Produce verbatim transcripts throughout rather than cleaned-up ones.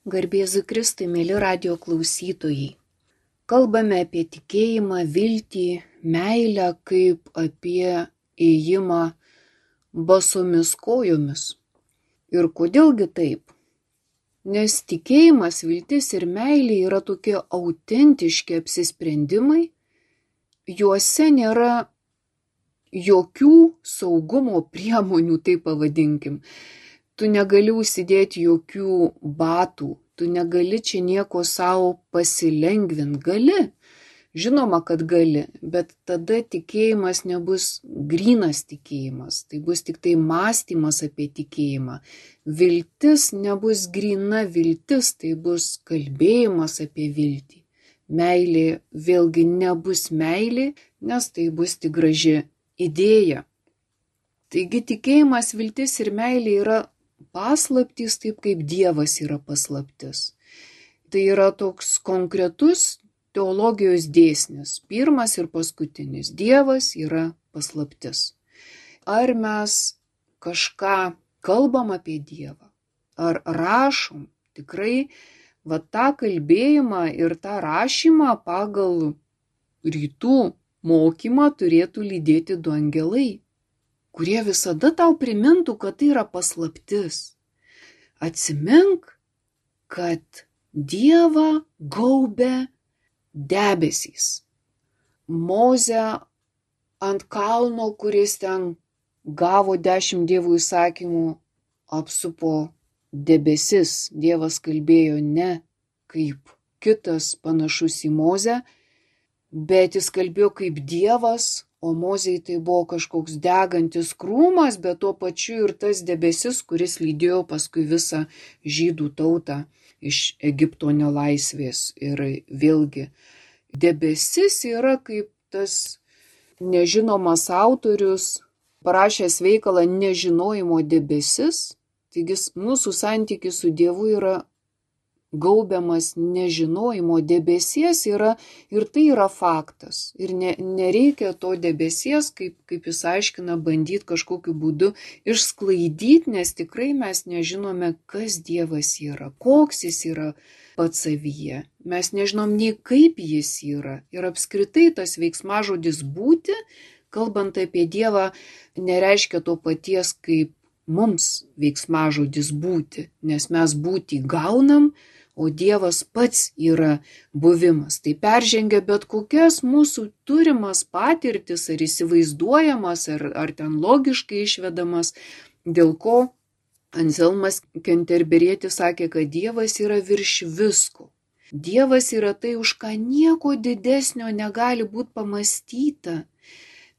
Garbėzu Kristui, mėly radijo klausytojai. Kalbame apie tikėjimą, viltį, meilę kaip apie ėjimą basomis kojomis. Ir kodėlgi taip? Nes tikėjimas, viltis ir meilė yra tokie autentiški apsisprendimai, juose nėra jokių saugumo priemonių, taip pavadinkim. Tu negali užsidėti jokių batų, tu negali čia nieko savo pasilengvinti. Gali, žinoma, kad gali, bet tada tikėjimas nebus grynas tikėjimas, tai bus tik tai mąstymas apie tikėjimą. Viltis nebus gryna viltis, tai bus kalbėjimas apie viltį. Meilė vėlgi nebus meilė, nes tai bus tik graži idėja. Taigi tikėjimas, viltis ir meilė yra paslaptys, taip kaip Dievas yra paslaptis. Tai yra toks konkretus teologijos dėsnis, pirmas ir paskutinis. Dievas yra paslaptis. Ar mes kažką kalbam apie Dievą, ar rašom, tikrai va tą kalbėjimą ir tą rašymą pagal rytų mokymą turėtų lydėti du angelai, kurie visada tau primintų, kad tai yra paslaptis. Atsimink, kad Dievą gaubia debesys. Mozę ant kalno, kuris ten gavo dešimt Dievo įsakymų, apsupo debesis. Dievas kalbėjo ne kaip kitas panašus į Mozę, bet jis kalbėjo kaip Dievas, o Mozei tai buvo kažkoks degantis krūmas, bet tuo pačiu ir tas debesis, kuris lydėjo paskui visą žydų tautą iš Egipto nelaisvės. Ir vėlgi, debesis yra kaip tas nežinomas autorius, parašęs veikalą Nežinojimo debesis, taigi mūsų santykis su Dievu yra gaubiamas nežinojimo debesies yra, ir tai yra faktas. Ir ne, nereikia to debesies, kaip, kaip jis aiškina, bandyti kažkokiu būdu išsklaidyti, nes tikrai mes nežinome, kas Dievas yra, koks jis yra pats savyje. Mes nežinom nei kaip jis yra. Ir apskritai tas veiksmažodis būti, kalbant apie Dievą, nereiškia to paties kaip mums veiksmažodis būti, nes mes būti gaunam, o Dievas pats yra buvimas. Tai peržengia bet kokias mūsų turimas patirtis, ar įsivaizduojamas, ar, ar ten logiškai išvedamas, dėl ko Anselmas Kenterberietis sakė, kad Dievas yra virš visko. Dievas yra tai, už ką nieko didesnio negali būti pamąstyta.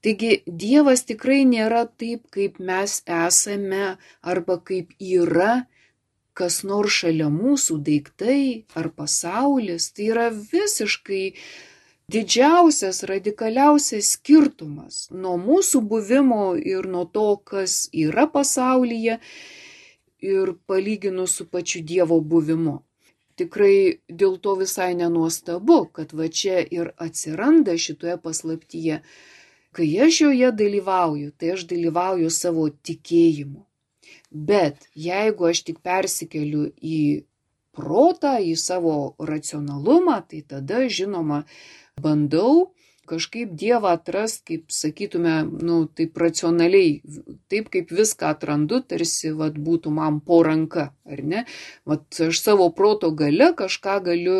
Taigi Dievas tikrai nėra taip, kaip mes esame, arba kaip yra kas nors šalia mūsų, daiktai ar pasaulis. Tai yra visiškai didžiausias, radikaliausias skirtumas nuo mūsų buvimo ir nuo to, kas yra pasaulyje, ir palyginus su pačiu Dievo buvimu. Tikrai dėl to visai nenuostabu, kad va čia ir atsiranda šitoje paslaptyje. Kai aš joje dalyvauju, tai aš dalyvauju savo tikėjimu. Bet jeigu aš tik persikeliu į protą, į savo racionalumą, tai tada, žinoma, bandau kažkaip Dievą atrast, kaip sakytume, nu, taip racionaliai, taip kaip viską atrandu, tarsi vat, būtų man po ranka, ar ne? Vat aš savo proto gale kažką galiu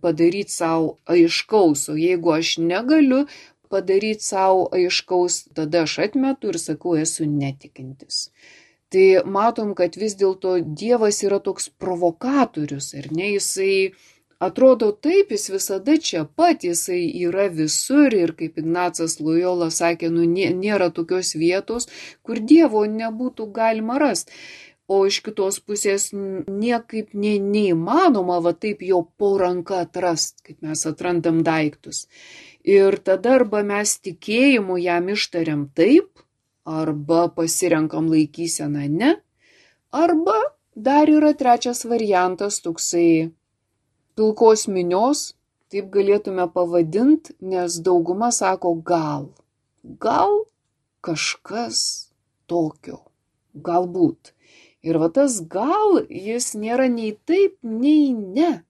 padaryti savo aiškaus, o jeigu aš negaliu padaryti savo aiškaus, tada aš atmetu ir sakau, esu netikintis. Tai matom, kad vis dėlto Dievas yra toks provokatorius, ar ne? Jisai atrodo taip, jis visada čia pat, jisai yra visur ir kaip Ignacas Lojola sakė, nu nėra tokios vietos, kur Dievo nebūtų galima rasti. O iš kitos pusės niekaip ne, neįmanoma va taip jo po ranka atrast, kaip mes atrandam daiktus. Ir tada arba mes tikėjimu jam ištariam taip, arba pasirenkam laikyseną ne, arba dar yra trečias variantas, toksai pilkos minios, taip galėtume pavadinti, nes dauguma sako gal, gal kažkas tokio, galbūt. Ir va tas gal, jis nėra nei taip, nei ne.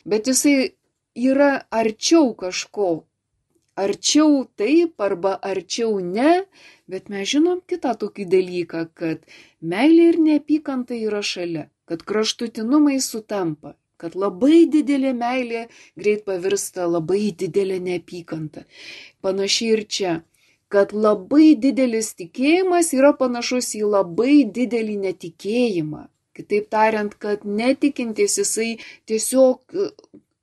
Bet jisai yra arčiau kažko. Arčiau taip arba arčiau ne, bet mes žinom kitą tokį dalyką, kad meilė ir neapykanta yra šalia, kad kraštutinumai sutampa, kad labai didelė meilė greit pavirsta labai didelė neapykanta. Panašiai ir čia, kad labai didelis tikėjimas yra panašus į labai didelį netikėjimą. Kitaip tariant, kad netikintis jisai tiesiog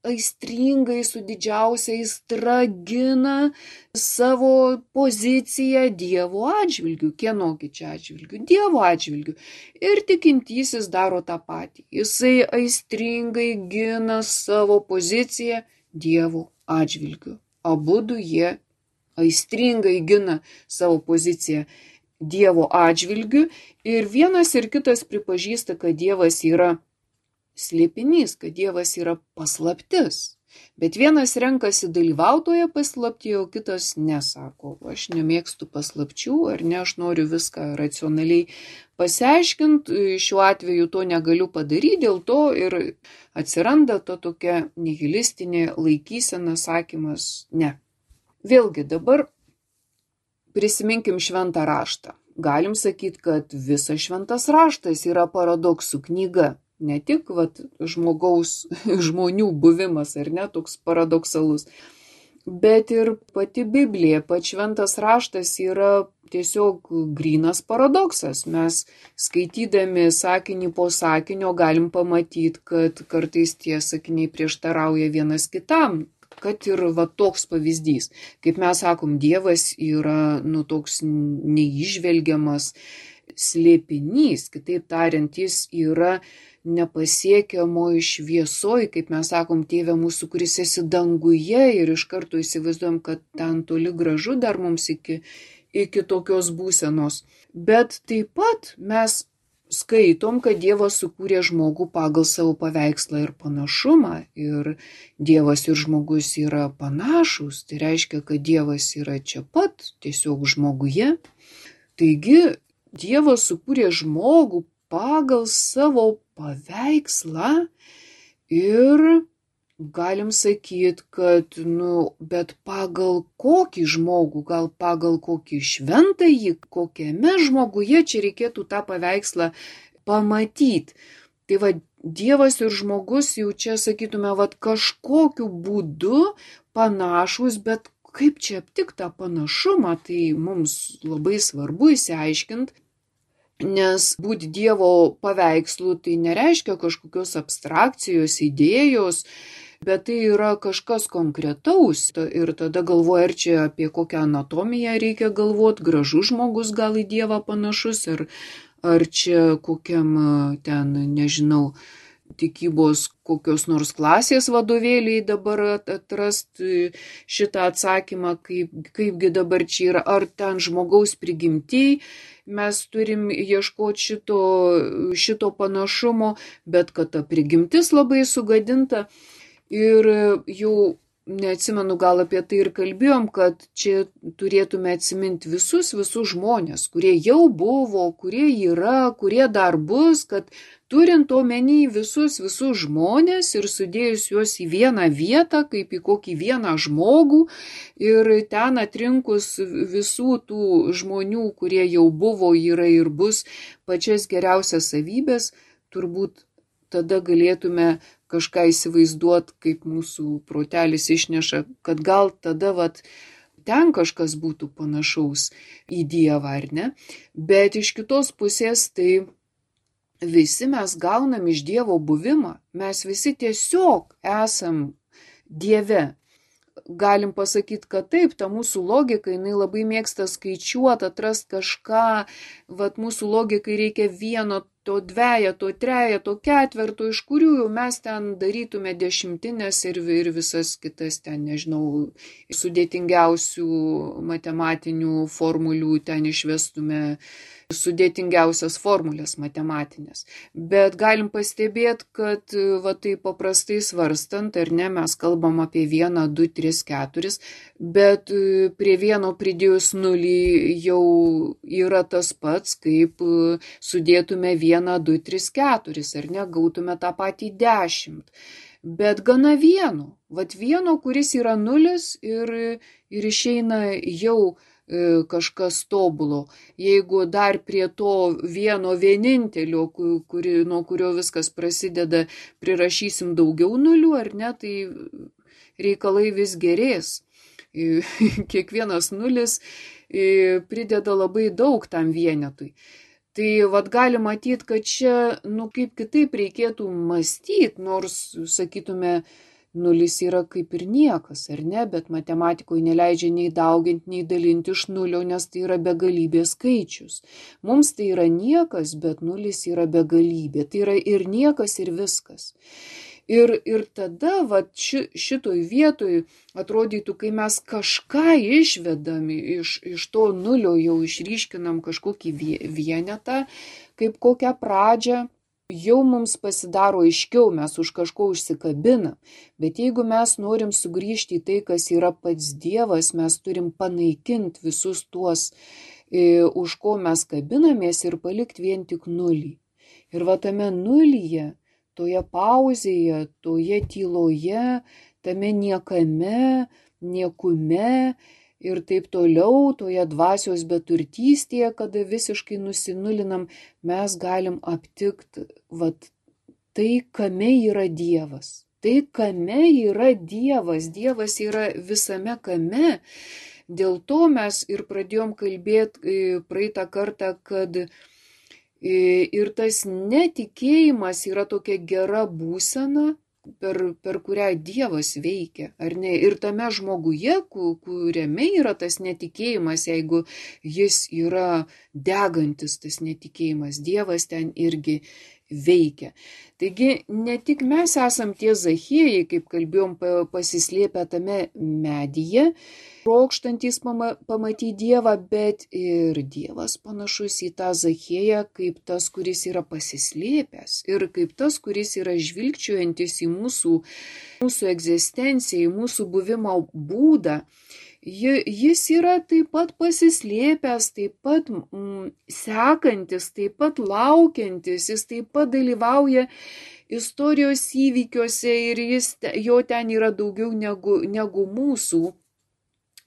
aistringai su didžiausia aistra gina savo poziciją Dievo atžvilgiu. Kienogi čia atžvilgiu? Dievo atžvilgiu. Ir tikintysis daro tą patį. Jisai aistringai gina savo poziciją Dievo atžvilgiu. Abudu jie aistringai gina savo poziciją Dievo atžvilgiu ir vienas ir kitas pripažįsta, kad Dievas yra slėpinys, kad Dievas yra paslaptis. Bet vienas renkasi dalyvautoje paslaptyje, o kitas nesako, aš nemėgstu paslapčių, ar ne, aš noriu viską racionaliai pasiaiškinti, šiuo atveju to negaliu padaryti, dėl to ir atsiranda ta tokia nihilistinė laikysena, sakymas ne. Vėlgi dabar prisiminkim šventą raštą. Galim sakyti, kad visas šventas raštas yra paradoksų knyga. Ne tik vat, žmogaus, žmonių buvimas, ar ne, toks paradoksalus, bet ir pati Biblija, pats šventas raštas yra tiesiog grynas paradoksas. Mes skaitydami sakinį po sakinio galim pamatyti, kad kartais tie sakiniai prieštarauja vienas kitam. Kad ir va toks pavyzdys, kaip mes sakom, Dievas yra nu, toks neižvelgiamas slėpinys, kitaip tariant, jis yra nepasiekiamoj šviesoj, kaip mes sakom, Tėve mūsų, kuris esi danguje ir iš karto įsivaizduojam, kad ten toli gražu dar mums iki, iki tokios būsenos. Bet taip pat mes skaitom, kad Dievas sukūrė žmogų pagal savo paveikslą ir panašumą ir Dievas ir žmogus yra panašus, tai reiškia, kad Dievas yra čia pat, tiesiog žmoguje. Taigi Dievas sukūrė žmogų pagal savo paveikslą ir galim sakyti, kad, nu, bet pagal kokį žmogų, gal pagal kokį šventąjį, kokiame žmoguje čia reikėtų tą paveikslą pamatyti. Tai va, Dievas ir žmogus jau čia, sakytume, va, kažkokiu būdu panašus, bet kaip čia aptikti tą panašumą, tai mums labai svarbu įsiaiškinti. Nes būti Dievo paveikslų tai nereiškia kažkokios abstrakcijos, idėjos, bet tai yra kažkas konkretaus. Ir tada galvoja, ar čia apie kokią anatomiją reikia galvoti, gražus žmogus gal į Dievą panašus, ar, ar čia kokiam ten, nežinau, tikybos kokios nors klasės vadovėliai dabar atrasti šitą atsakymą, kaip, kaipgi dabar čia yra, ar ten žmogaus prigimtiai. Mes turim ieškoti šito, šito panašumo, bet kad ta prigimtis labai sugadinta ir jau neatsimenu, gal apie tai ir kalbėjom, kad čia turėtume atsiminti visus, visus žmonės, kurie jau buvo, kurie yra, kurie dar bus, kad turint omeny visus, visus žmonės ir sudėjus juos į vieną vietą, kaip į kokį vieną žmogų ir ten atrinkus visų tų žmonių, kurie jau buvo, yra ir bus pačias geriausias savybės, turbūt tada galėtume kažką įsivaizduoti, kaip mūsų protelis išneša, kad gal tada vat, ten kažkas būtų panašaus į Dievą, ar ne? Bet iš kitos pusės tai visi mes gaunam iš Dievo buvimą, mes visi tiesiog esam Dieve. Galim pasakyti, kad taip, ta mūsų logika, jinai labai mėgsta skaičiuoti, atrasti kažką, vat mūsų logikai reikia vieno, to dvejeto, trejeto, ketverto, iš kurių jau mes ten darytume dešimtinės ir, ir visas kitas ten, nežinau, sudėtingiausių matematinių formulių ten išvestume sudėtingiausias formulės matematinės. Bet galim pastebėti, kad va tai paprastai svarstant, ar ne, mes kalbam apie vieną, du, tris, keturis, bet prie vieno pridėjus nulį jau yra tas pats, kaip sudėtume vieną vieną, du, tris, keturis, ar ne, gautume tą patį dešimt. Bet gana vieno, vat vieno, kuris yra nulis ir, ir išeina jau e, kažkas tobulo. Jeigu dar prie to vieno vienintelio, kuri, nuo kurio viskas prasideda, prirašysim daugiau nulių, ar ne, tai reikalai vis gerės. Kiekvienas nulis prideda labai daug tam vienetui. Tai vat gali matyti, kad čia, nu, kaip kitaip reikėtų mąstyti, nors, sakytume, nulis yra kaip ir niekas, ar ne, bet matematikoje neleidžia nei dauginti, nei dalinti iš nulio, nes tai yra begalybės skaičius. Mums tai yra niekas, bet nulis yra begalybė. Tai yra ir niekas, ir viskas. Ir, ir tada vat, ši, šitoj vietoj atrodytų, kai mes kažką išvedam iš, iš to nulio, jau išryškinam kažkokį vienetą, kaip kokią pradžią, jau mums pasidaro aiškiau, mes už kažko užsikabinam. Bet jeigu mes norim sugrįžti į tai, kas yra pats Dievas, mes turim panaikinti visus tuos, e, už ko mes kabinamės ir palikti vien tik nulį. Ir va tame nulyje, toje pauzėje, toje tyloje, tame niekame, niekume ir taip toliau, toje dvasios beturtystėje, kada visiškai nusinulinam, mes galim aptikti vat, tai, kame yra Dievas. Tai, kame yra Dievas. Dievas yra visame kame. Dėl to mes ir pradėjom kalbėti praeitą kartą, kad ir tas netikėjimas yra tokia gera būsena, per, per kurią Dievas veikia, ar ne? Ir tame žmoguje, kuriame yra tas netikėjimas, jeigu jis yra degantis, tas netikėjimas, Dievas ten irgi veikia. Taigi ne tik mes esam tie Zachiejai, kaip kalbėjom, pasislėpę tame medyje, trokštantys pamatyti Dievą, bet ir Dievas panašus į tą Zachieją kaip tas, kuris yra pasislėpęs ir kaip tas, kuris yra žvilgčiojantis į mūsų, mūsų egzistenciją, į mūsų buvimo būdą. Jis yra taip pat pasislėpęs, taip pat mm, sekantis, taip pat laukiantis, jis taip pat dalyvauja istorijos įvykiuose ir jis, jo ten yra daugiau negu, negu mūsų.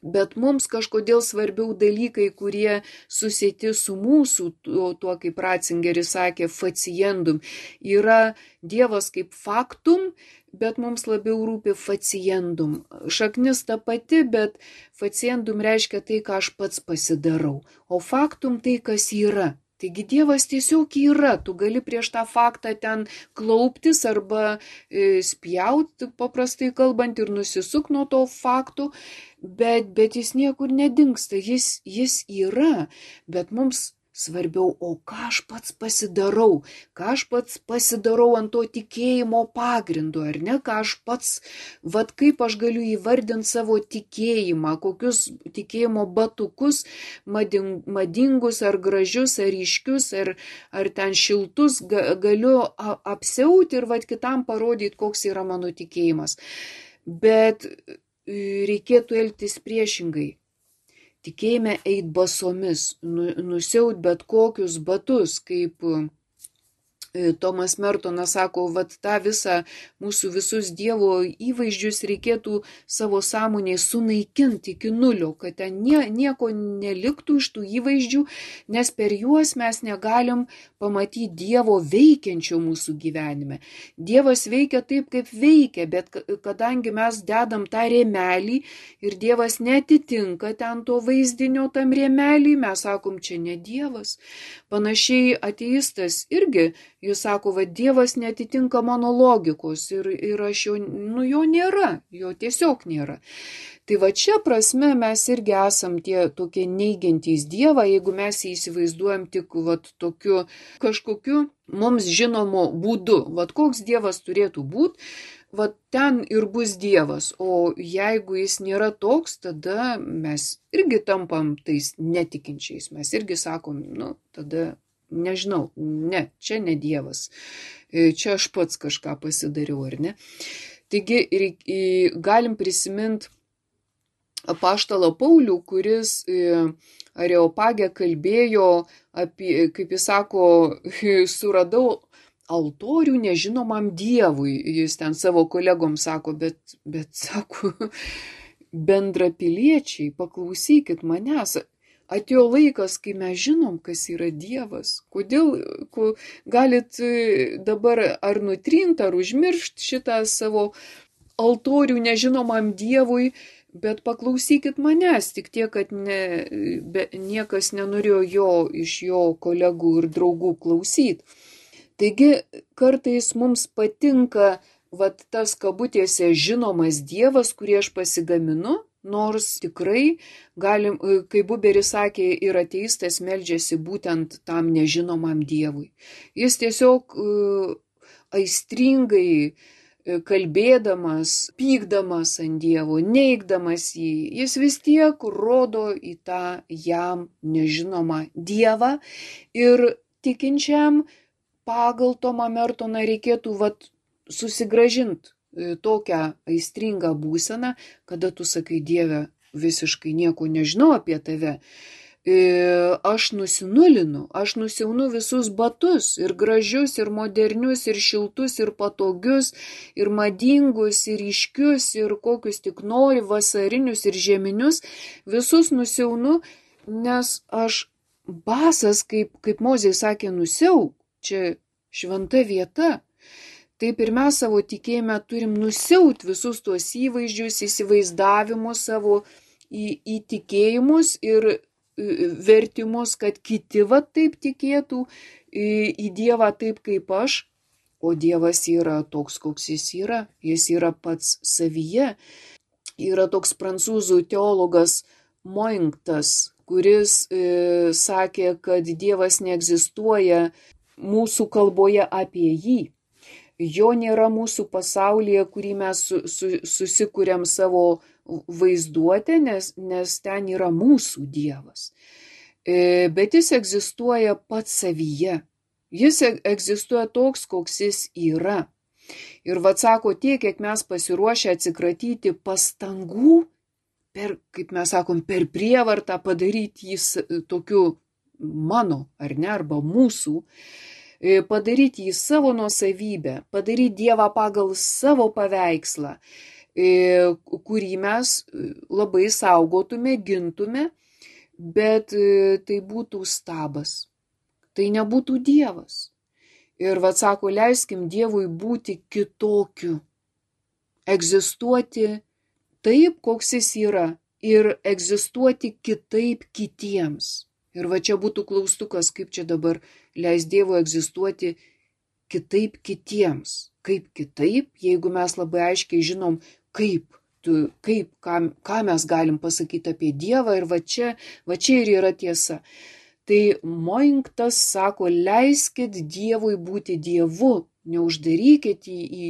Bet mums kažkodėl svarbiau dalykai, kurie susieti su mūsų, tuo, tuo kaip Ratzingeris sakė, faciendum. Yra Dievas kaip faktum, bet mums labiau rūpi faciendum. Šaknis ta pati, bet faciendum reiškia tai, ką aš pats pasidarau. O faktum tai, kas yra. Taigi Dievas tiesiog yra, tu gali prieš tą faktą ten klauptis arba e, spjauti, paprastai kalbant, ir nusisuk nuo to faktų, bet, bet jis niekur nedingsta, jis, jis yra, bet mums svarbiau, o ką aš pats pasidarau, ką aš pats pasidarau ant to tikėjimo pagrindo, ar ne, ką aš pats, vat kaip aš galiu įvardinti savo tikėjimą, kokius tikėjimo batukus, mading, madingus ar gražius, ar ryškius, ar, ar ten šiltus ga, galiu apsiauti ir vat kitam parodyti, koks yra mano tikėjimas. Bet reikėtų elgtis priešingai. Tikėjime eit basomis, nusiaut bet kokius batus, kaip Tomas Mertonas sako, vat tą visą mūsų visus Dievo įvaizdžius reikėtų savo sąmonėje sunaikinti iki nulio, kad ten nie, nieko neliktų iš tų įvaizdžių, nes per juos mes negalim pamatyti Dievo veikiančio mūsų gyvenime. Dievas veikia taip, kaip veikia, bet kadangi mes dedam tą rėmelį ir Dievas netitinka ten to vaizdinio tam rėmelį, mes sakom, čia ne Dievas. Panašiai ateistas irgi, jis sako, va, Dievas netitinka mano logikos ir, ir aš jo, nu, jo nėra, jo tiesiog nėra. Tai va čia prasme mes irgi esam tie tokie neigiantys Dievą, jeigu mes jį įsivaizduojam tik va, tokiu kažkokiu mums žinomu būdu. Va koks Dievas turėtų būti, va ten ir bus Dievas. O jeigu jis nėra toks, tada mes irgi tampam tais netikinčiais. Mes irgi sakom, nu, tada nežinau, ne, čia ne Dievas, čia aš pats kažką pasidariau, ar ne? Taigi galim prisiminti apaštalą Paulių, kuris Areopagė kalbėjo apie, kaip jis sako, suradau altorių nežinomam Dievui. Jis ten savo kolegom sako, bet, bet sako, bendrapiliečiai, paklausykit manęs. Atėjo laikas, kai mes žinom, kas yra Dievas. Kodėl ko, galit dabar ar nutrint, ar užmiršt šitą savo altorių nežinomam Dievui, bet paklausykit manęs, tik tiek, kad ne, be, niekas nenorėjo jo iš jo kolegų ir draugų klausyti. Taigi kartais mums patinka vat, tas kabutėse žinomas Dievas, kurį aš pasigaminu, nors tikrai, galim, kaip Buberis sakė, ir ateistas meldžiasi būtent tam nežinomam Dievui. Jis tiesiog uh, aistringai kalbėdamas, pykdamas ant Dievo, neigdamas jį, jis vis tiek rodo į tą jam nežinomą Dievą ir tikinčiam pagal Tomą Mertoną reikėtų vat, susigrąžinti tokią aistringą būseną, kada tu sakai, Dieve, visiškai nieko nežinau apie tave. Aš nusinulinu, aš nusiaunu visus batus, ir gražius, ir modernius, ir šiltus, ir patogius, ir madingus, ir ryškius, ir kokius tik nori, vasarinius ir žieminius, visus nusiaunu, nes aš basas, kaip, kaip Mozė sakė, nusiauk, čia šventa vieta. Taip ir mes savo tikėjime turim nusiaut visus tuos įvaizdžius, įsivaizdavimus savo į, įtikėjimus ir vertimus, kad kiti va taip tikėtų į, į Dievą taip kaip aš, o Dievas yra toks, koks jis yra, jis yra pats savyje. Yra toks prancūzų teologas Moinktas, kuris e, sakė, kad Dievas neegzistuoja mūsų kalboje apie jį. Jo nėra mūsų pasaulyje, kurį mes su, su, susikuriam savo vaizduotę, nes, nes ten yra mūsų Dievas. E, bet jis egzistuoja pats savyje. Jis egzistuoja toks, koks jis yra. Ir vat sako, tiek, kiek mes pasiruošę atsikratyti pastangų, per, kaip mes sakom, per prievartą padaryti jį tokiu mano, ar ne, arba mūsų, padaryti jį savo nuosavybę, padaryti Dievą pagal savo paveikslą, kurį mes labai saugotume, gintume, bet tai būtų stabas, tai nebūtų Dievas. Ir vat sako, leiskim Dievui būti kitokiu, egzistuoti taip, koks jis yra, ir egzistuoti kitaip kitiems. Ir va čia būtų klaustukas, kaip čia dabar leis Dievo egzistuoti kitaip kitiems. Kaip kitaip, jeigu mes labai aiškiai žinom, kaip, tu, kaip ką, ką mes galim pasakyti apie Dievą, ir va čia, va čia ir yra tiesa. Tai Moinktas sako, leiskit Dievui būti Dievu, neuždarykit į, į,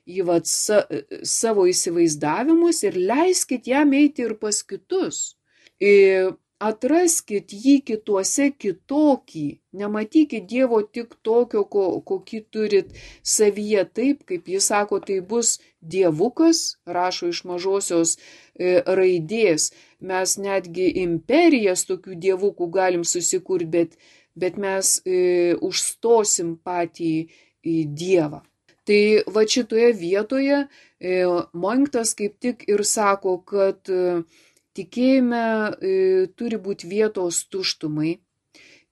į vat, sa, savo įsivaizdavimus ir leiskit jam eiti ir pas kitus. Ir atraskit jį kituose kitokį, nematykit Dievo tik tokio, ko, kokį turit savyje, taip, kaip jis sako, tai bus dievukas, rašo iš mažosios e, raidės, mes netgi imperijas tokių dievukų galim susikurti, bet, bet mes e, užstosim patį e, Dievą. Tai va šitoje vietoje e, Moinktas kaip tik ir sako, kad e, tikėjime e, turi būti vietos tuštumai.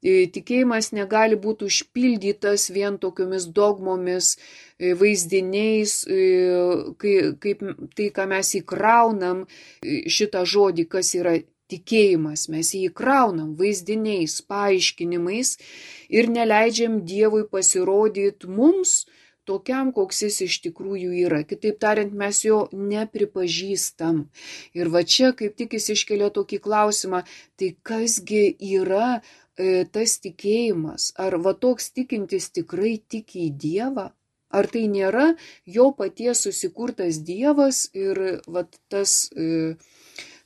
E, tikėjimas negali būti užpildytas vien tokiomis dogmomis, e, vaizdiniais, e, kai, kaip tai, ką mes įkraunam, e, šitą žodį, kas yra tikėjimas. Mes jį įkraunam vaizdiniais, paaiškinimais ir neleidžiam Dievui pasirodyti mums tokiam, koks jis iš tikrųjų yra. Kitaip tariant, mes jo nepripažįstam. Ir va čia kaip tik jis iškelia tokį klausimą, tai kasgi yra e, tas tikėjimas? Ar va toks tikintis tikrai tiki į Dievą? Ar tai nėra jo paties susikurtas Dievas ir va tas... E,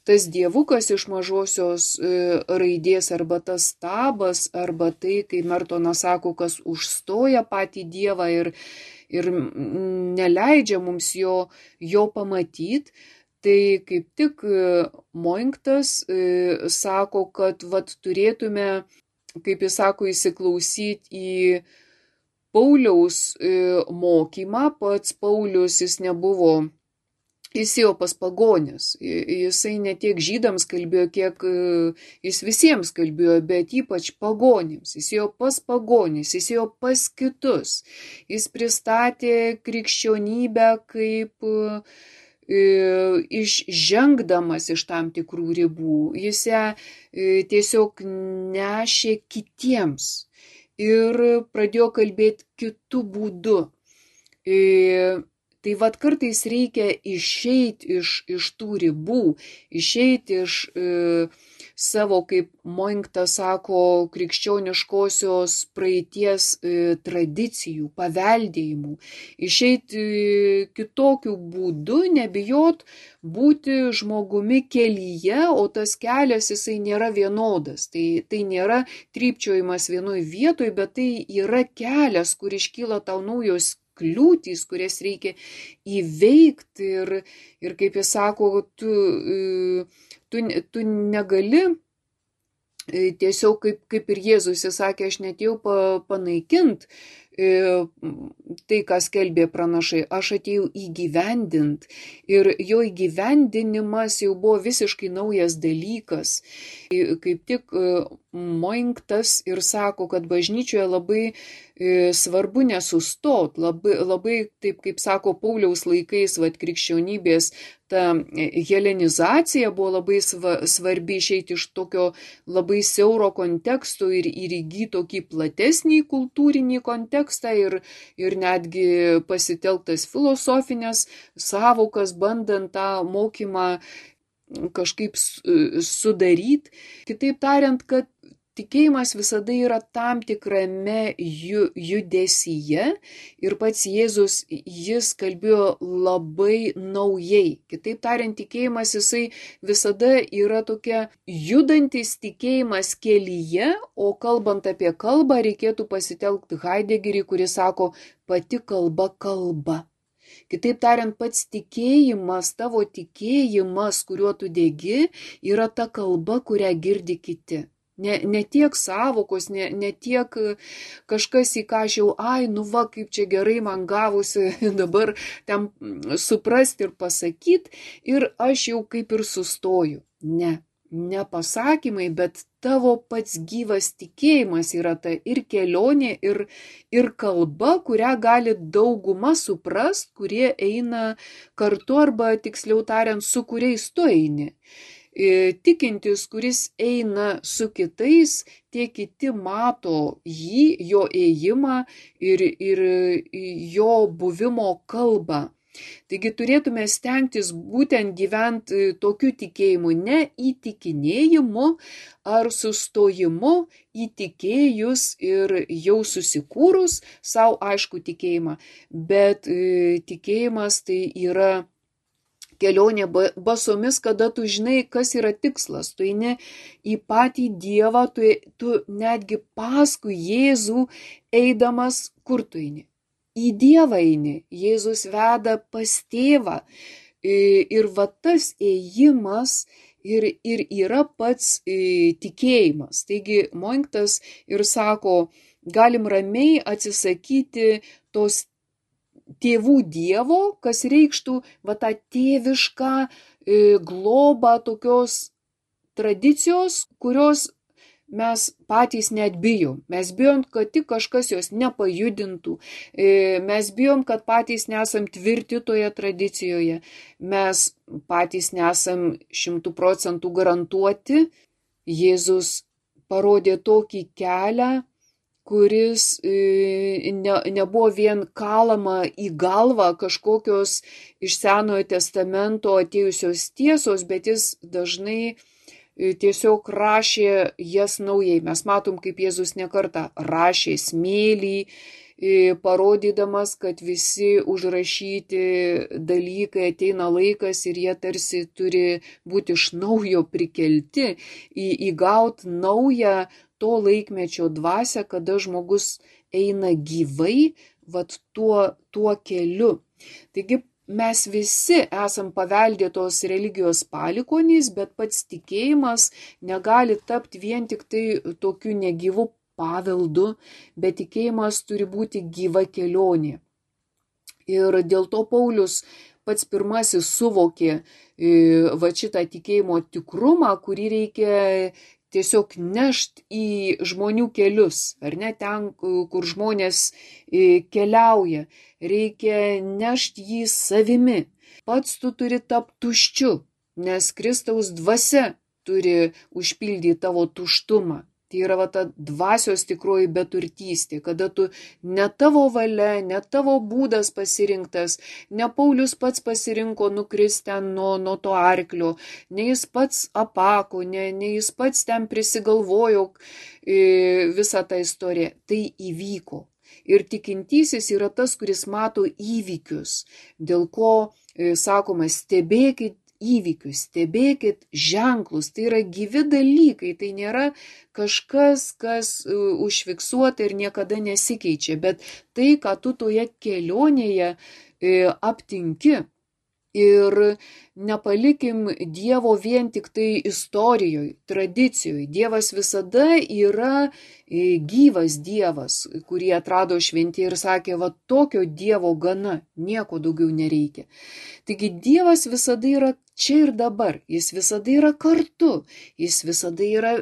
tas dievukas iš mažosios e, raidės, arba tas stabas, arba tai, kai Mertonas sako, kas užstoja patį Dievą ir, ir neleidžia mums jo, jo pamatyti, Tai kaip tik Moinktas sako, kad vat, turėtume, kaip jis sako, įsiklausyti į Pauliaus mokymą. Pats Paulius jis nebuvo, jis ėjo pas pagonis. Jisai ne tiek žydams kalbėjo, kiek jis visiems kalbėjo, bet ypač pagonims. Jis ėjo pas pagonis, jis ėjo pas kitus. Jis pristatė krikščionybę kaip išžengdamas iš tam tikrų ribų. Jis ją tiesiog nešė kitiems ir pradėjo kalbėti kitų būdų. Tai vad kartais reikia išeiti iš, iš tų ribų, išeiti iš e, savo, kaip Moinktas sako, krikščioniškosios praeities e, tradicijų, paveldėjimų, išeiti kitokių būdų, nebijot būti žmogumi kelyje, o tas kelias jisai nėra vienodas. Tai, tai nėra trypčiojimas vienoj vietoj, bet tai yra kelias, kur iškyla tau naujos kliūtys, kurias reikia įveikti ir, ir kaip jis sako, tu, tu, tu negali tiesiog kaip, kaip ir Jėzus, jis sakė, aš netėjau panaikinti tai, ką skelbė pranašai, aš atėjau įgyvendinti ir jo įgyvendinimas jau buvo visiškai naujas dalykas. Kaip tik Moinktas ir sako, kad bažnyčioje labai svarbu nesustot, labai, labai taip kaip sako Pauliaus laikais, vat, krikščionybės, ta helenizacija buvo labai svarbi išeiti iš tokio labai siauro konteksto ir, ir įgyti tokį platesnį kultūrinį kontekstą ir, ir netgi pasitelktas filosofinės savokas, bandant tą mokymą kažkaip sudaryti. Kitaip tariant, kad tikėjimas visada yra tam tikrame ju, judesyje ir pats Jėzus, jis kalbėjo labai naujai. Kitaip tariant, tikėjimas jisai visada yra tokia judantis tikėjimas kelyje, o kalbant apie kalbą reikėtų pasitelkti Heideggerį, kuris sako, pati kalba kalba. Kitaip tariant, pats tikėjimas, tavo tikėjimas, kuriuo tu degi, yra ta kalba, kurią girdi kiti. Ne, ne tiek savokos, ne, ne tiek kažkas į ką aš jau, ai, nu va, kaip čia gerai man gavosi dabar ten suprasti ir pasakyti ir aš jau kaip ir sustoju. Ne, ne pasakymai, bet tavo pats gyvas tikėjimas yra ta ir kelionė, ir, ir kalba, kurią gali dauguma suprast, kurie eina kartu arba tiksliau tariant, su kuriais tu eini. Tikintis, kuris eina su kitais, tie kiti mato jį, jo ėjimą ir, ir jo buvimo kalbą. Taigi turėtume stengtis būtent gyventi tokiu tikėjimu, ne įtikinėjimu ar sustojimu įtikėjus ir jau susikūrus savo aišku tikėjimą, bet tikėjimas tai yra kelionė basomis, kada tu žinai, kas yra tikslas. Tu eini į patį Dievą, tu, tu netgi paskui Jėzų eidamas, kur tu eini? Į Dievą eini. Jėzus veda pas tėvą. Ir va tas ėjimas ir, ir yra pats tikėjimas. Taigi Moinktas ir sako, galim ramiai atsisakyti tos tėvų Dievo, kas reikštų va tą tėvišką e, globą tokios tradicijos, kurios mes patys net bijom. Mes bijom, kad tik kažkas jos nepajudintų. E, mes bijom, kad patys nesam tvirti toje tradicijoje. Mes patys nesam šimtų procentų garantuoti. Jėzus parodė tokį kelią, kuris ne, nebuvo vien kalama į galvą kažkokios iš Senojo testamento atėjusios tiesos, bet jis dažnai tiesiog rašė jas naujai. Mes matom, kaip Jėzus nekartą rašė smėlį, parodydamas, kad visi užrašyti dalykai ateina laikas ir jie tarsi turi būti iš naujo prikelti, į, įgauti naują to laikmečio dvasią, kada žmogus eina gyvai, vat tuo, tuo keliu. Taigi mes visi esam paveldėtos religijos palikonys, bet pats tikėjimas negali tapti vien tik tai tokiu negyvu paveldu, bet tikėjimas turi būti gyva kelionė. Ir dėl to Paulius pats pirmasis suvokė va šitą tikėjimo tikrumą, kurį reikia tiesiog nešt į žmonių kelius, ar ne, ten, kur žmonės keliauja, reikia nešt jį savimi. Pats tu turi tapti tuščiu, nes Kristaus dvasia turi užpildyti tavo tuštumą. Tai yra va ta dvasios tikroji beturtystė, kada tu ne tavo valia, ne tavo būdas pasirinktas, ne Paulius pats pasirinko nukristi ten nuo, nuo to arklio, ne jis pats apako, ne, ne jis pats ten prisigalvojo e, visą tą istoriją. Tai įvyko. Ir tikintysis yra tas, kuris mato įvykius, dėl ko e, sakoma, stebėkit įvykius, stebėkit ženklus, tai yra gyvi dalykai, tai nėra kažkas, kas uh, užfiksuota ir niekada nesikeičia, bet tai, ką tu toje kelionėje uh, aptinki. Ir nepalikim Dievo vien tik tai istorijoje, tradicijoje. Dievas visada yra gyvas Dievas, kurį atrado šventi ir sakė, va tokio Dievo gana, nieko daugiau nereikia. Taigi Dievas visada yra čia ir dabar, jis visada yra kartu, jis visada yra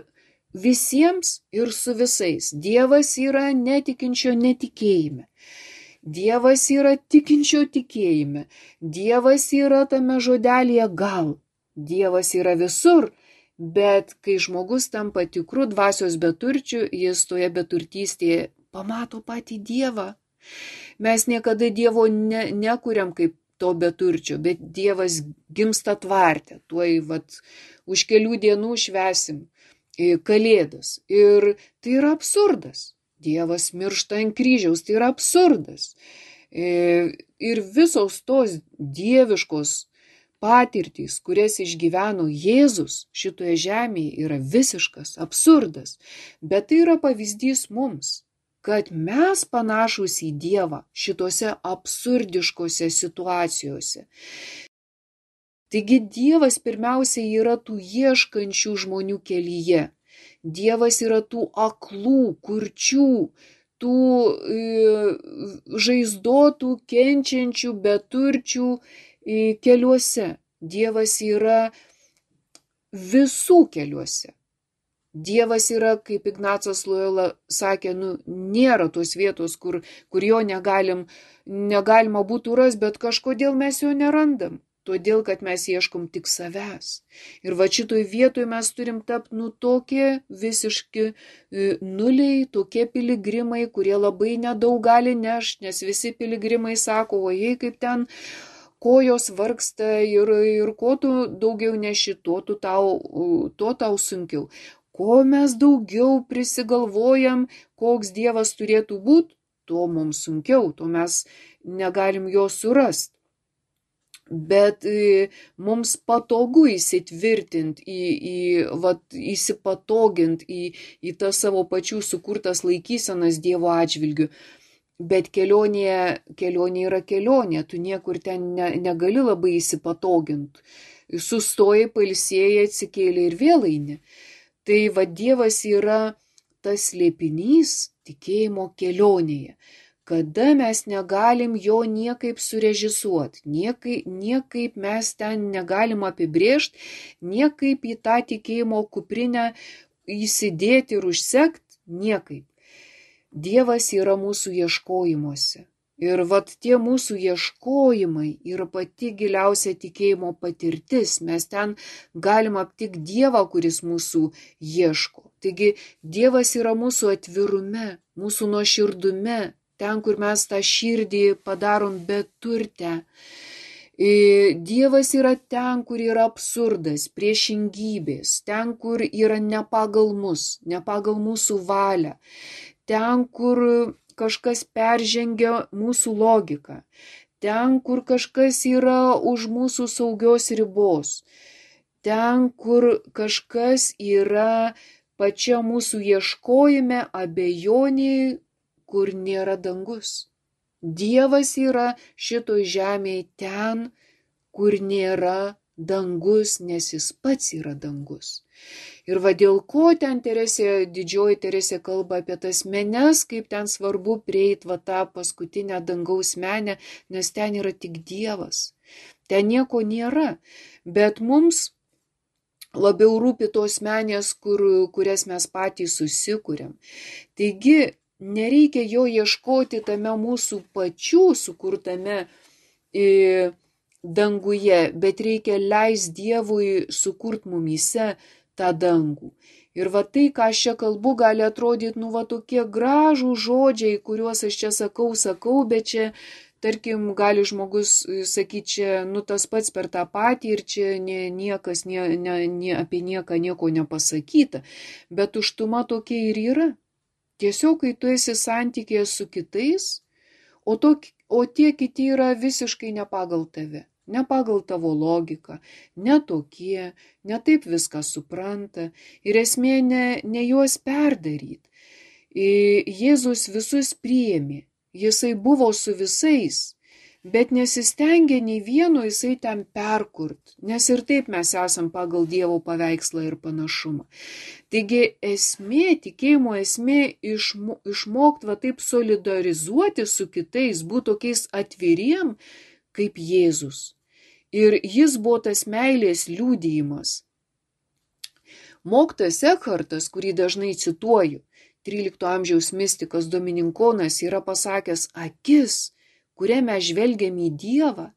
visiems ir su visais. Dievas yra netikinčio netikėjime. Dievas yra tikinčio tikėjime. Dievas yra tame žodelėje gal. Dievas yra visur, bet kai žmogus tampa tikru dvasios beturčiu, jis toje beturtystėje pamato patį Dievą. Mes niekada Dievo ne, nekuriam kaip to beturčio, bet Dievas gimsta tvarte. Tuoj vat, už kelių dienų švesim Kalėdas. Ir tai yra absurdas. Dievas miršta ant kryžiaus, tai yra absurdas. Ir visos tos dieviškos patirtys, kurias išgyveno Jėzus šitoje žemėje, yra visiškas absurdas. Bet tai yra pavyzdys mums, kad mes panašūs į Dievą šitose absurdiškose situacijose. Taigi Dievas pirmiausiai yra tų ieškančių žmonių kelyje. Dievas yra tų aklų, kurčių, tų e, žaizdotų, kenčiančių, beturčių e, keliuose. Dievas yra visų keliuose. Dievas yra, kaip Ignacas Lojola sakė, nu, nėra tos vietos, kur, kur jo negalim, negalima būtų rasti, bet kažkodėl mes jo nerandam. Todėl, kad mes ieškom tik savęs. Ir va šitoj vietoj mes turim tapti nu tokie visiški nuliai, tokie piligrimai, kurie labai nedaug gali nešti, nes visi piligrimai sako, o jei kaip ten kojos vargsta ir, ir ko tu daugiau neši, to, tu tau, to tau sunkiau. Ko mes daugiau prisigalvojam, koks Dievas turėtų būti, to mums sunkiau, to mes negalim jo surasti. Bet e, mums patogu įsitvirtinti, į, į, vat, įsipatoginti į, į tas savo pačių sukurtas laikysenas Dievo atžvilgiu. Bet kelionė, kelionė yra kelionė, tu niekur ten ne, negali labai įsipatoginti. Sustojai, pailsėjai, atsikėlė ir vėl eini. Tai va Dievas yra tas slėpinys tikėjimo kelionėje. Kada mes negalim jo niekaip surežisuoti, niekaip, niekaip mes ten negalim apibrėžti, niekaip į tą tikėjimo kuprinę įsidėti ir užsekti, niekaip. Dievas yra mūsų ieškojimuose. Ir vat tie mūsų ieškojimai yra pati giliausia tikėjimo patirtis. Mes ten galim aptikti Dievą, kuris mūsų ieško. Taigi Dievas yra mūsų atvirume, mūsų nuoširdume. Ten, kur mes tą širdį padarom beturtę. Dievas yra ten, kur yra absurdas, priešingybės, ten, kur yra ne pagal mus, ne pagal mūsų valią, ten, kur kažkas peržengia mūsų logiką, ten, kur kažkas yra už mūsų saugios ribos, ten, kur kažkas yra pačia mūsų ieškojime, abejonė, kur nėra dangus. Dievas yra šitoj žemėje ten, kur nėra dangus, nes jis pats yra dangus. Ir va dėl ko ten Teresė, didžioji Teresė kalba apie tas menes, kaip ten svarbu prieit va tą paskutinę dangaus menę, nes ten yra tik Dievas. Ten nieko nėra, bet mums labiau rūpi tos menės, kur, kurias mes patys susikūrėm. Taigi, nereikia jo ieškoti tame mūsų pačių sukurtame e, danguje, bet reikia leis Dievui sukurt mumyse tą dangų. Ir va tai, ką aš čia kalbu, gali atrodyti, nu va tokie gražų žodžiai, kuriuos aš čia sakau, sakau, bet čia, tarkim, gali žmogus sakyti, čia, nu tas pats per tą patį ir čia nie, niekas nie, nie, nie, apie nieką nieko nepasakyta. Bet tuštuma tokia ir yra. Tiesiog, kai tu esi santykėje su kitais, o, to, o tie kiti yra visiškai ne pagal tave, ne pagal tavo logiką, ne tokie, ne taip viską supranta ir esmė ne, ne juos perdaryti. Jėzus visus priėmė, jisai buvo su visais, bet nesistengė nei vieno jisai ten perkurt, nes ir taip mes esam pagal Dievo paveikslą ir panašumą. Taigi esmė, tikėjimo esmė išmo, išmokti va taip solidarizuoti su kitais, būti tokiais atviriem kaip Jėzus. Ir jis buvo tas meilės liudijimas. Mokytojas Ekhartas, kurį dažnai cituoju, trylikto amžiaus mistikas Dominikonas, yra pasakęs, akis, kuria mes žvelgiam į Dievą,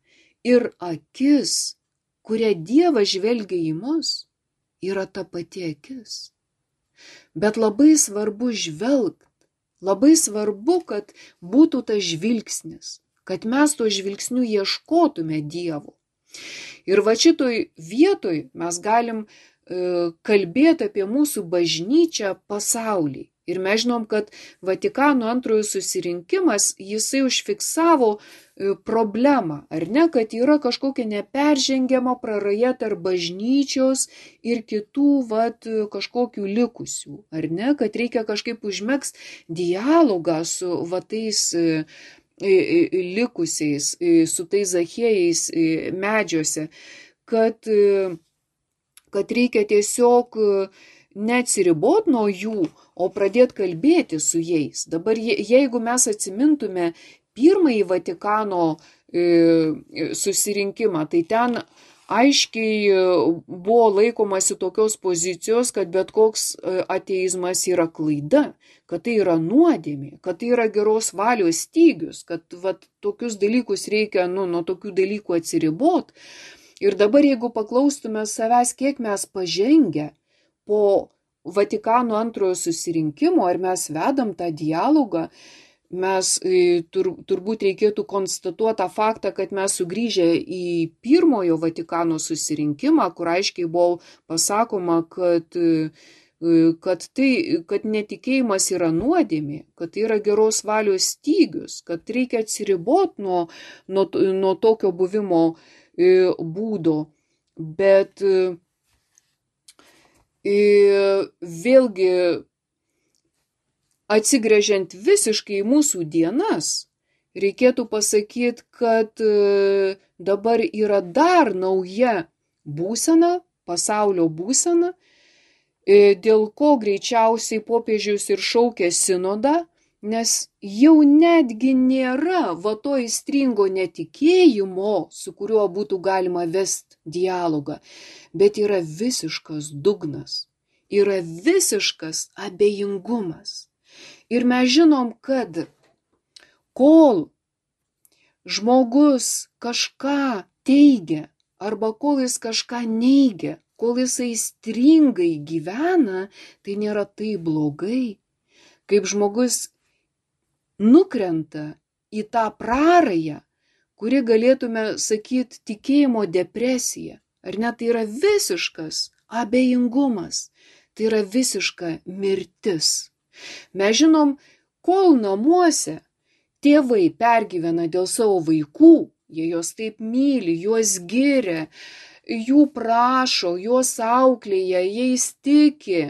ir akis, kuria Dievas žvelgia į mus, yra ta pati akis. Bet labai svarbu žvelgt, labai svarbu, kad būtų tas žvilgsnis, kad mes to žvilgsniu ieškotume Dievo. Ir va šitoj vietoj mes galim e, kalbėti apie mūsų bažnyčią pasaulį. Ir mes žinom, kad Vatikano antrojo susirinkimas, jisai užfiksavo problemą, ar ne, kad yra kažkokia neperžengiama praraja tarp bažnyčios ir kitų vat, kažkokių likusių, ar ne, kad reikia kažkaip užmegzti dialogą su va tais likusiais, su tais Zachiejais medžiuose, kad, kad reikia tiesiog neatsiribot nuo jų, o pradėti kalbėti su jais. Dabar jeigu mes atsimintume pirmąjį Vatikano susirinkimą, tai ten aiškiai buvo laikomasi tokios pozicijos, kad bet koks ateizmas yra klaida, kad tai yra nuodėmė, kad tai yra geros valios stygius, kad vat, tokius dalykus reikia nu, nuo tokių dalykų atsiribot. Ir dabar jeigu paklaustume savęs, kiek mes pažengę po Vatikano antrojo susirinkimo, ar mes vedam tą dialogą, mes tur, turbūt reikėtų konstatuoti tą faktą, kad mes sugrįžę į pirmojo Vatikano susirinkimą, kur aiškiai buvo pasakoma, kad, kad, tai, kad netikėjimas yra nuodėmė, kad tai yra geros valios stygius, kad reikia atsiriboti nuo, nuo, nuo tokio buvimo būdo. Bet vėlgi atsigręžiant visiškai į mūsų dienas, reikėtų pasakyti, kad dabar yra dar nauja būsena, pasaulio būsena, dėl ko greičiausiai popiežius ir šaukė sinodą, nes jau netgi nėra va to aistringo netikėjimo, su kuriuo būtų galima vesti dialogą, bet yra visiškas dugnas, yra visiškas abejingumas. Ir mes žinom, kad kol žmogus kažką teigia arba kol jis kažką neigia, kol jis aistringai gyvena, tai nėra taip blogai, kaip žmogus nukrenta į tą prarają, kuri galėtume sakyti tikėjimo depresija. Ar ne, tai yra visiškas abejingumas, tai yra visiška mirtis. Mes žinom, kol namuose tėvai pergyvena dėl savo vaikų, jie juos taip myli, juos giria, jų prašo, juos auklėja, jais tiki.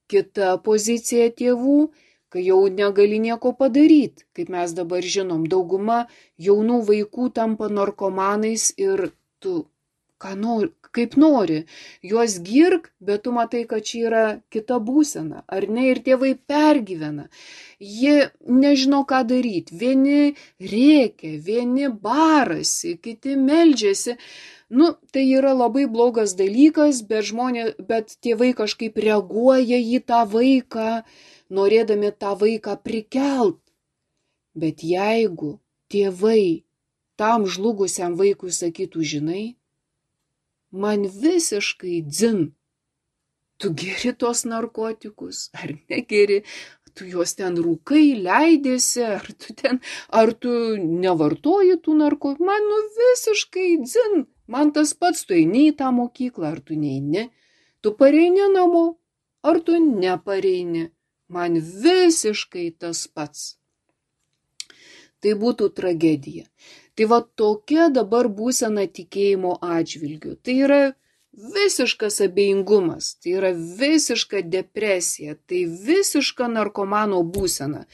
Kita pozicija tėvų, kai jau negali nieko padaryti, kaip mes dabar žinom, dauguma jaunų vaikų tampa narkomanais ir tu ką nori, kaip nori, juos girk, bet tu matai, kad čia yra kita būsena, ar ne, ir tėvai pergyvena. Jie nežino, ką daryti, vieni rėkia, vieni barasi, kiti meldžiasi. Nu, tai yra labai blogas dalykas, bet, žmonė, bet tėvai kažkaip reaguoja į tą vaiką, norėdami tą vaiką prikelt. Bet jeigu tėvai tam žlugusiam vaikui sakytų, žinai, man visiškai dzin, tu geri tos narkotikus, ar negeri, tu juos ten rūkai, leidėsi, ar tu ten, ar tu nevartoji tų narkotikų, man nu visiškai dzin, man tas pats, tu eini į tą mokyklą, ar tu neini, tu pareini namo, ar tu nepareini, man visiškai tas pats. Tai būtų tragedija. Tai va tokia dabar būsena tikėjimo atžvilgiu. Tai yra visiškas abejingumas, tai yra visiška depresija, tai visiška narkomano būsena.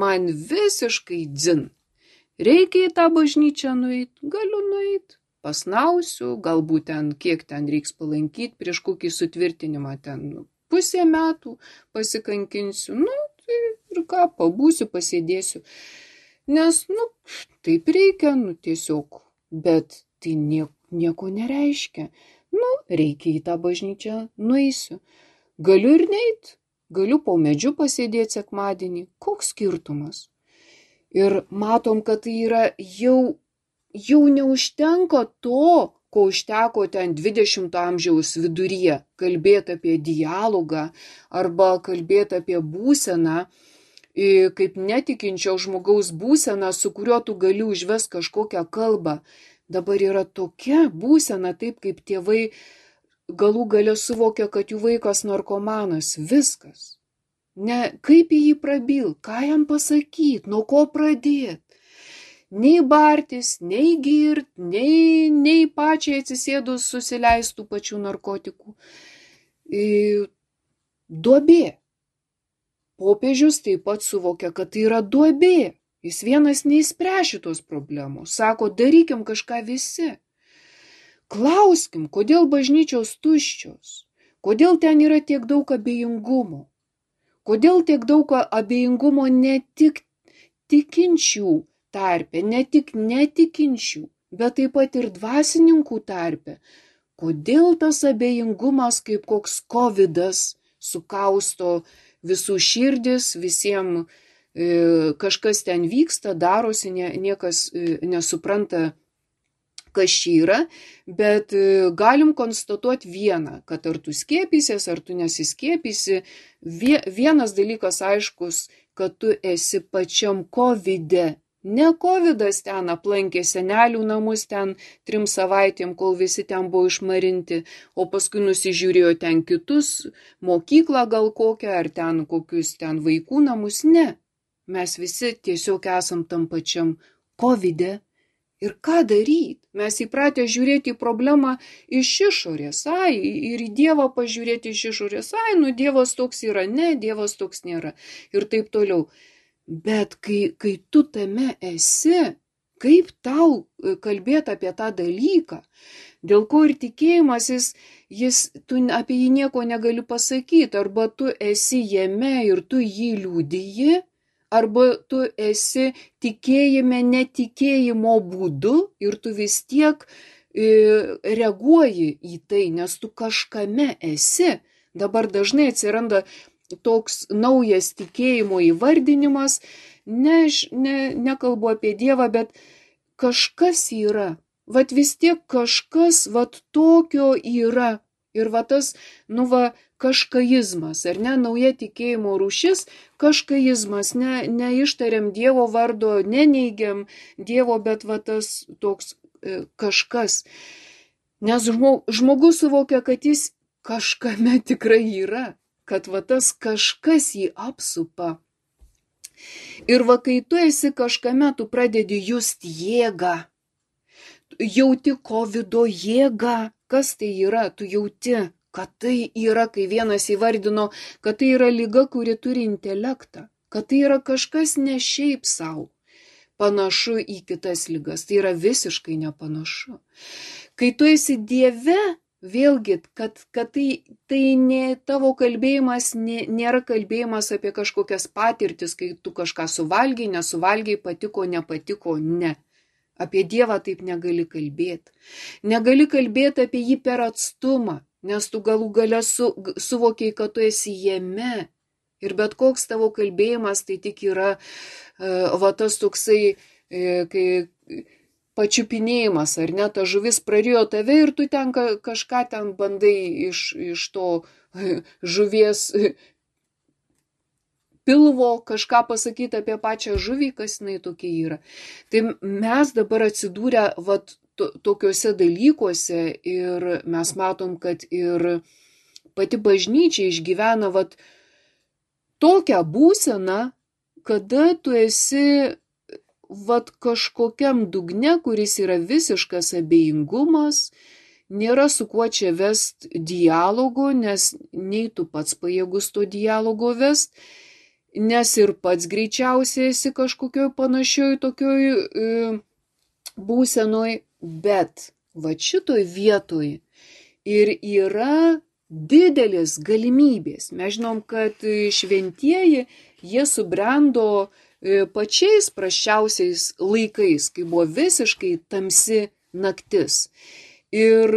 Man visiškai dzin. Reikia į tą bažnyčią nueiti, galiu nueiti, pasnausiu, galbūt ten kiek ten reiks palankyti, prieš kokį sutvirtinimą ten pusę metų pasikankinsiu, nu tai ir ką, pabūsiu, pasėdėsiu. Nes, nu, taip reikia, nu, tiesiog, bet tai nieko, nieko nereiškia. Nu, reikia į tą bažnyčią, nueisiu. Galiu ir neit, galiu po medžiu pasėdėti sekmadienį. Koks skirtumas? Ir matom, kad tai yra jau, jau neužtenka to, ko užteko ten dvidešimto amžiaus viduryje, kalbėti apie dialogą arba kalbėti apie būseną, kaip netikinčio žmogaus būsena, su kuriuo tu gali užvesti kažkokią kalbą. Dabar yra tokia būsena, taip kaip tėvai galų gale suvokia, kad jų vaikas narkomanas. Viskas. Ne, kaip į jį prabil, ką jam pasakyti, nuo ko pradėti. Nei bartis, nei girt, nei, nei pačiai atsisėdus susileistų pačių narkotikų. Duobė. Popiežius taip pat suvokia, kad tai yra duobė. Jis vienas neįspręs šitos problemos. Sako, darykim kažką visi. Klauskim, kodėl bažnyčios tuščios? Kodėl ten yra tiek daug abejingumo? Kodėl tiek daug abejingumo ne tik tikinčių tarpe, ne tik netikinčių, bet taip pat ir dvasininkų tarpe? Kodėl tas abejingumas kaip koks kovidas sukausto visų širdis, visiems e, kažkas ten vyksta, darosi, nie, niekas e, nesupranta, kas čia yra, bet e, galim konstatuoti vieną, kad ar tu skiepysies, ar tu nesiskiepysi, vie, vienas dalykas aiškus, kad tu esi pačiam kovide. Ne kovidas ten aplankė senelių namus ten trim savaitėm, kol visi ten buvo išmarinti, o paskui nusižiūrėjo ten kitus, mokyklą gal kokią, ar ten kokius ten vaikų namus. Ne, mes visi tiesiog esam tam pačiam kovide. Ir ką daryti? Mes įpratę žiūrėti į problemą iš išorės, ai, ir į Dievą pažiūrėti iš išorės, ai, nu Dievas toks yra, ne, Dievas toks nėra, ir taip toliau. Bet kai, kai tu tame esi, kaip tau kalbėti apie tą dalyką, dėl ko ir tikėjimas, jis, jis, tu apie jį nieko negali pasakyti, arba tu esi jame ir tu jį liudiji, arba tu esi tikėjime netikėjimo būdu ir tu vis tiek e, reaguoji į tai, nes tu kažkame esi. Dabar dažnai atsiranda toks naujas tikėjimo įvardinimas, ne, ne, nekalbu apie Dievą, bet kažkas yra, vat vis tiek kažkas vat tokio yra. Ir va tas, nu va, kažkaizmas, ar ne, nauja tikėjimo rūšis, kažkaizmas, ne, neištariam Dievo vardo, neneigiam Dievo, bet va tas toks e, kažkas. Nes žmogus suvokia, kad jis kažkame tikrai yra, kad va tas kažkas jį apsupa. Ir va, kai tu esi kažkame, tu pradedi just jėgą, jauti kovido jėgą. Kas tai yra? Tu jauti, kad tai yra, kai vienas įvardino, kad tai yra liga, kuri turi intelektą, kad tai yra kažkas ne šiaip savo, panašu į kitas ligas, tai yra visiškai nepanašu. Kai tu esi Dieve, vėlgi, kad, kad tai, tai ne, tavo kalbėjimas nė, nėra kalbėjimas apie kažkokias patirtis, kai tu kažką suvalgiai, nesuvalgiai, patiko, nepatiko, ne. Apie Dievą taip negali kalbėti. Negali kalbėti apie jį per atstumą, nes tu galų gale su, suvokiai, kad tu esi jame. Ir bet koks tavo kalbėjimas tai tik yra uh, va tas toksai, uh, kai pačiupinėjimas, ar ne, ta žuvis prarijo tave ir tu ten kažką ten bandai iš, iš to uh, žuvies uh, pilvo kažką pasakyti apie pačią žuvį, kas jinai tokia yra. Tai mes dabar atsidūrę vat, to, tokiuose dalykuose ir mes matom, kad ir pati bažnyčia išgyvena vat, tokią būseną, kada tu esi vat, kažkokiam dugne, kuris yra visiškas abejingumas, nėra su kuo čia vest dialogo, nes nei tu pats pajėgus to dialogo vest, nes ir pats greičiausiai esi kažkokioj panašioj tokioj e, būsenoj, bet va šitoj vietoj ir yra didelės galimybės. Mes žinom, kad šventieji, jie subrendo e, pačiais prasčiausiais laikais, kai buvo visiškai tamsi naktis. Ir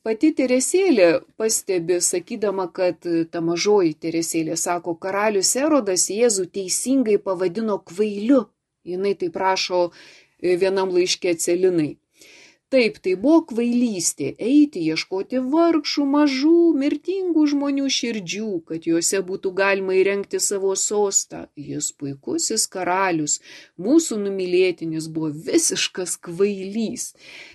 pati Teresėlė pastebi, sakydama, kad ta mažoji Teresėlė sako, karalius Erodas Jėzų teisingai pavadino kvailiu. Jinai taip rašo vienam laiške Celinai. Taip, tai buvo kvailystė eiti, ieškoti vargšų, mažų, mirtingų žmonių širdžių, kad juose būtų galima įrengti savo sostą. Jis puikusis karalius, mūsų numylėtinis buvo visiškas kvailys,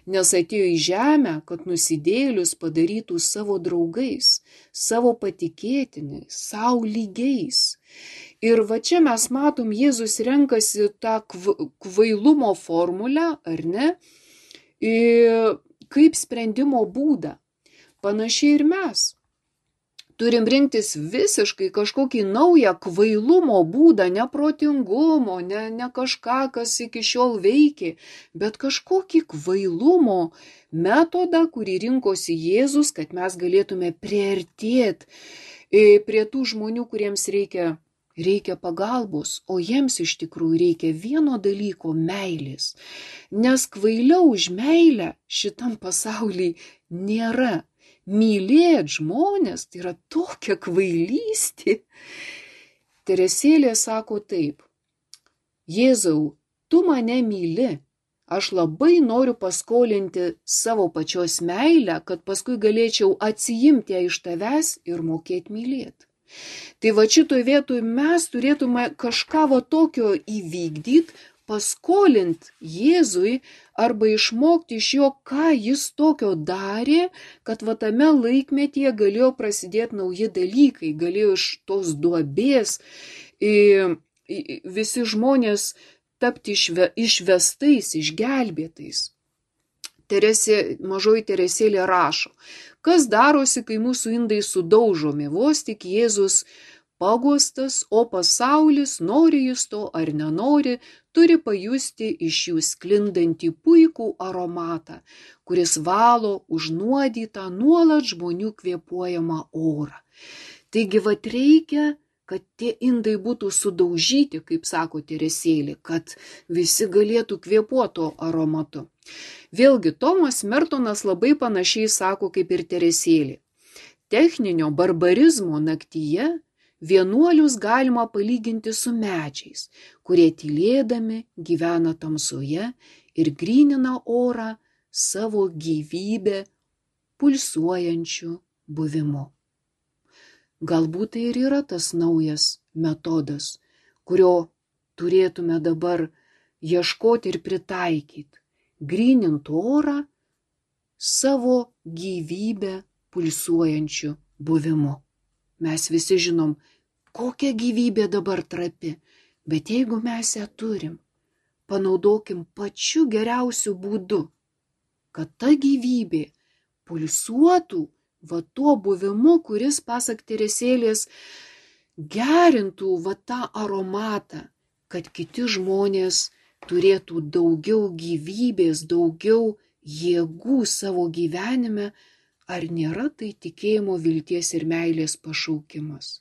nes atėjo į žemę, kad nusidėlius padarytų savo draugais, savo patikėtiniais, savo lygiais. Ir va čia mes matom, Jėzus renkasi tą kvailumo formulę, ar ne? Kaip sprendimo būdą. Panašiai ir mes. Turim rinktis visiškai kažkokį naują kvailumo būdą, neprotingumo, ne, ne kažką, kas iki šiol veikia, bet kažkokį kvailumo metodą, kurį rinkosi Jėzus, kad mes galėtume priartėti prie tų žmonių, kuriems reikia Reikia pagalbos, o jiems iš tikrųjų reikia vieno dalyko – meilės. Nes kvailiau už meilę šitam pasaulyje nėra. Mylėt žmonės tai yra tokia kvailystė. Teresėlė sako taip, Jėzau, tu mane myli, aš labai noriu paskolinti savo pačios meilę, kad paskui galėčiau atsiimti ją iš tavęs ir mokėti mylėti. Tai va šitoj vietoj mes turėtume kažką va tokio įvykdyti, paskolinti Jėzui arba išmokti iš jo, ką jis tokio darė, kad va tame laikmetyje galėjo prasidėti nauji dalykai, galėjo iš tos duobės visi žmonės tapti išve, išvestais, išgelbėtais. Teresė, mažoji Teresėlė rašo, kas darosi, kai mūsų indai sudaužomi, vos tik Jėzus pagostas, o pasaulis, nori jis to ar nenori, turi pajusti iš jų sklindantį puikų aromatą, kuris valo užnuodytą nuolat žmonių kvėpuojamą orą. Taigi vat reikia, kad tie indai būtų sudaužyti, kaip sako Teresėlė, kad visi galėtų kvėpuoto aromatu. Vėlgi, Tomas Mertonas labai panašiai sako kaip ir Teresėlė. Techninio barbarizmo naktyje vienuolius galima palyginti su medžiais, kurie tylėdami gyvena tamsoje ir grynina orą savo gyvybę pulsuojančiu buvimu. Galbūt tai ir yra tas naujas metodas, kurio turėtume dabar ieškoti ir pritaikyti. Grynint orą savo gyvybę pulsuojančiu buvimu. Mes visi žinom, kokia gyvybė dabar trapi, bet jeigu mes ją turim, panaudokim pačiu geriausiu būdu, kad ta gyvybė pulsuotų va tuo buvimu, kuris, pasak Teresėlės, gerintų va tą aromatą, kad kiti žmonės turėtų daugiau gyvybės, daugiau jėgų savo gyvenime, ar nėra tai tikėjimo, vilties ir meilės pašaukimas?